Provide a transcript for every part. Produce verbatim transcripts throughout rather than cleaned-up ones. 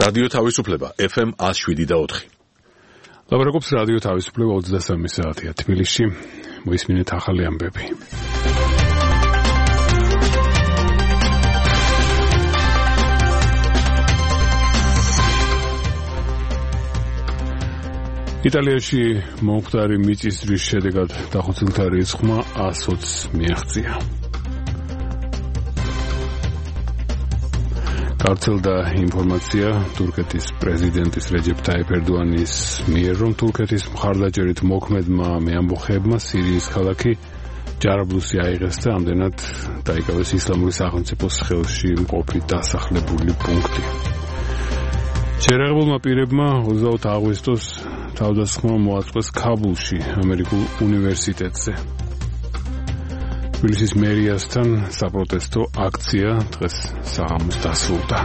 რადიო თავისუფლება ეფ ემ one oh seven და four. ლაბორატორიის რადიო თავისუფლება ოცდასამი საათია თბილისში. მოისმინეთ ახალი ამბები. იტალიაში მომხდარი მიწისძვრის შედეგად დახოცილთა რიცხვმა one hundred twenty მიაღწია. გავრცელდა ინფორმაცია თურქეთის პრეზიდენტის რეჯეპ ტაიპ ერდოანის მიერ, რომ თურქეთის მხარდაჭერით მოქმედმა მეამბოხეებმა სირიის ქალაქი ჯარაბლუსი აიღეს და ამდენად დაიკავეს ისლამური სახელმწიფოს ხელში მყოფი დასახლებული პუნქტი. შეერაღებულმა პირებმა ოცდაოთხ აგვისტოს თავდასხმა მოაწყვეს ქაბულში, ამერიკულ უნივერსიტეტზე. თბილისის მერიასთან საპროტესტო აქცია დღეს საღამოს დასრულდა.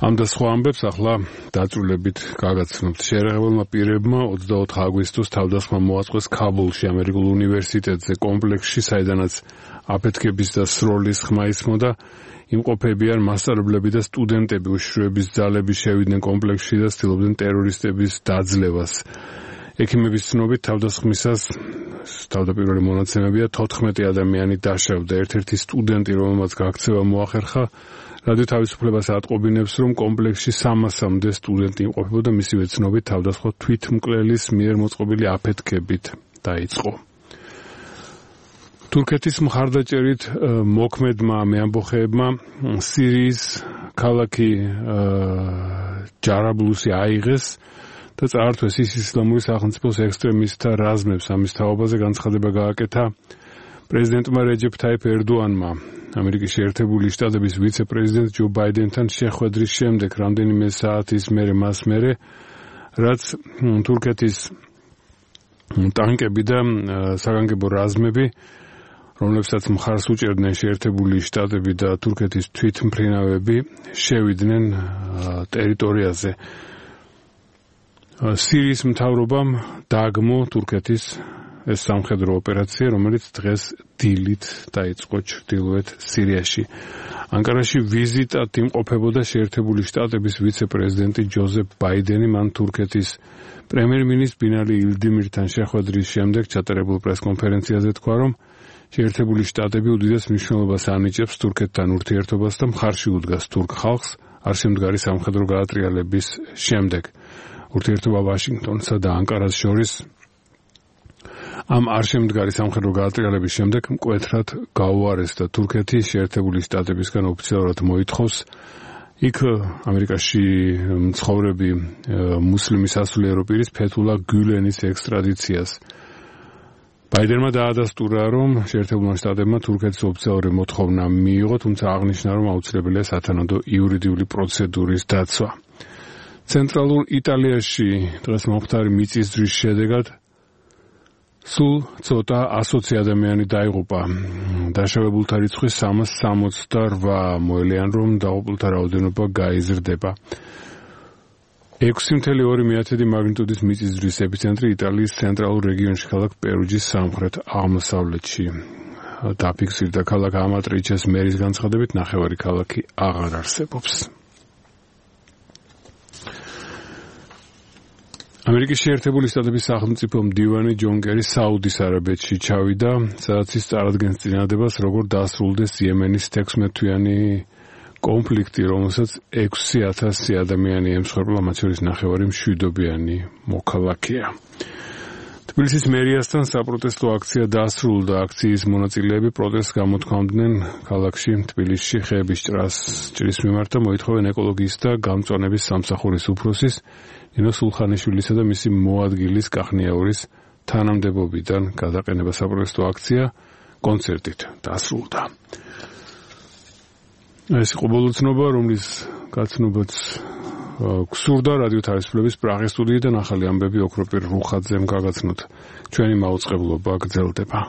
ამ და სხვა ამბებს ახლა დაწვრილებით გაგაცნობთ. შეერაღებულმა პირებმა ოცდაოთხ აგვისტოს თავდასხმა მოაწყვეს ქაბულში, ამერიკულ უნივერსიტეტზე, კომპლექსში, საიდანაც აფეთქების და სროლის ხმა ისმოდა. იმყოფები არ მასწავლებლები და სტუდენტები უშიშროების ძალები შევიდნენ კომპლექსში და ცდილობდნენ ტერორისტების დაძლევას. ექიმების ცნობით თავდასხმისას თავდაპირველი მონაცემებია თოთხმეტი ადამიანი დაშავდა. ერთ-ერთი სტუდენტი, რომელმაც გაქცევა მოახერხა, რადიო თავისუფლებას ატყობინებს, რომ კომპლექსში სამასამდე სტუდენტი იმყოფებოდა, მისივე ცნობით თავდასხმა თვითმკვლელის მიერ მოწყობილი აფეთქებით დაიწყო. თურქეთის მხარდაჭერით მოქმედმა მეამბოხეებმა სირიის ქალაქი ჯარაბლუსი აიღეს და წაართვეს ის ისლამური სახელმწიფოს ექსტრემისტთა რაზმებს. ამის თაობაზე განცხადება გააკეთა პრეზიდენტმა რეჯეპ ტაიპ ერდოანმა. ამერიკის შეერთებული შტატების ვიცე-პრეზიდენტ ჯო ბაიდენთან შეხვედრის შემდეგ, რამდენიმე საათის მერე მას მერე, რაც თურქეთის ტანკები და საგანგებო რაზმები, რომლებსაც მხარს უჭერდნენ შეერთებული შტატები და თურქეთის თვითმფრინავები, შევიდნენ ტერიტორიაზე. სირიის მთავრობამ დააგმო თურქეთის ეს სამხედრო ოპერაცია, რომელიც დღეს დილით დაიწყო ჩრდილოეთ სირიაში. ანკარაში ვიზიტად იმყოფებოდა შეერთებული შტატების ვიცე-პრეზიდენტი ჯოზეფ ბაიდენი. მან თურქეთის პრემიერ-მინისტრ ბინალი ილდიმირთან შეხვედრის შემდეგ ჩატარებულ პრესკონფერენციაზე თქვა, რომ შეერთებული შტატები უდიდეს მნიშვნელობას ანიჭებს თურქეთთან ურთიერთობას და მხარში უდგას თურქ ხალხს არსიმდგარი სამხედრო გაატრიალების შემდეგ. ურთიერთობა ვაშინგტონსა და ანკარას შორის ამ არშემდგარი სამხედრო გაატრიალების შემდეგ მკვეთრად გაუარესდა. თურქეთი შეერთებული შტატებისგან ოფიციალურად მოითხოვს იქ ამერიკაში მცხოვრები მუსლიმი სასულიერო პირის ფეთულა გულენის ექსტრადიციას. ბაიდენმა დაადასტურა, რომ შეერთებულმა შტატებმა თურქეთის ოფიციალური მოთხოვნა მიიღო, თუმცა აღნიშნა, რომ აუცილებელია სათანადო იურიდიული პროცედურის დაცვა. ცენტრალურ იტალიაში დღეს მომხდარი მიწისძვრის შედეგად სულ ცოტა ასოცი ადამიანი დაიღუპა. დაშავებულთა რიცხვი სამას სამოცდაოთხ მოელიან, რომ დაღუპულთა რაოდენობა გაიზრდება. ექვსი კoma ორი მაგნიტუდის მიწისძვრის ეპიცენტრი იტალიის ცენტრალურ რეგიონში, ქალაქ პერუჯის სამხრეთ აღმოსავლეთში დაფიქსირდა. ქალაქ ამატრიჩეს მერის განცხადებით, ნახევარი ქალაქი აღარ არსებობს. ამერიკის შეერთებული შტატების სახელმწიფო მდივანი ჯონ კერი საუდის არაბეთში ჩავიდა, სადაც ის წარადგენს წინადადებას, როგორ დაასრულდეს იემენის თექვსმეტთვიანი კონფლიქტი, რომელსაც ექვსი ათასი ადამიანი ემსხვერპლა, მათ შორის ნახევარი მშვიდობიანი მოქალაქეა. თბილისის მერიასთან საპროტესტო აქცია დასრულდა. აქციის მონაწილეები პროტესტს გამოთქვამდნენ ქალაქში, თბილისში ხეების ჭრას ჭრის მიმართ და მოითხოვენ ეკოლოგიის და გამწვანების სამსახურის უფროსის ნინო სულხანიშვილისა და მისი მოადგილის კახნიაურის თანამდებობიდან გადაყენება. საპროტესტო აქცია კონცერტით დასრულდა. ეს იყო ბოლო ცნობა, რომლის გაცნობაც გსურდა რადიო თავისუფლების პრაღის სტუდიიდან ახალი ამბები ოქროპირ რუხაძემ გაგაცნოთ. ჩვენი მაუწყებლობა გრძელდება.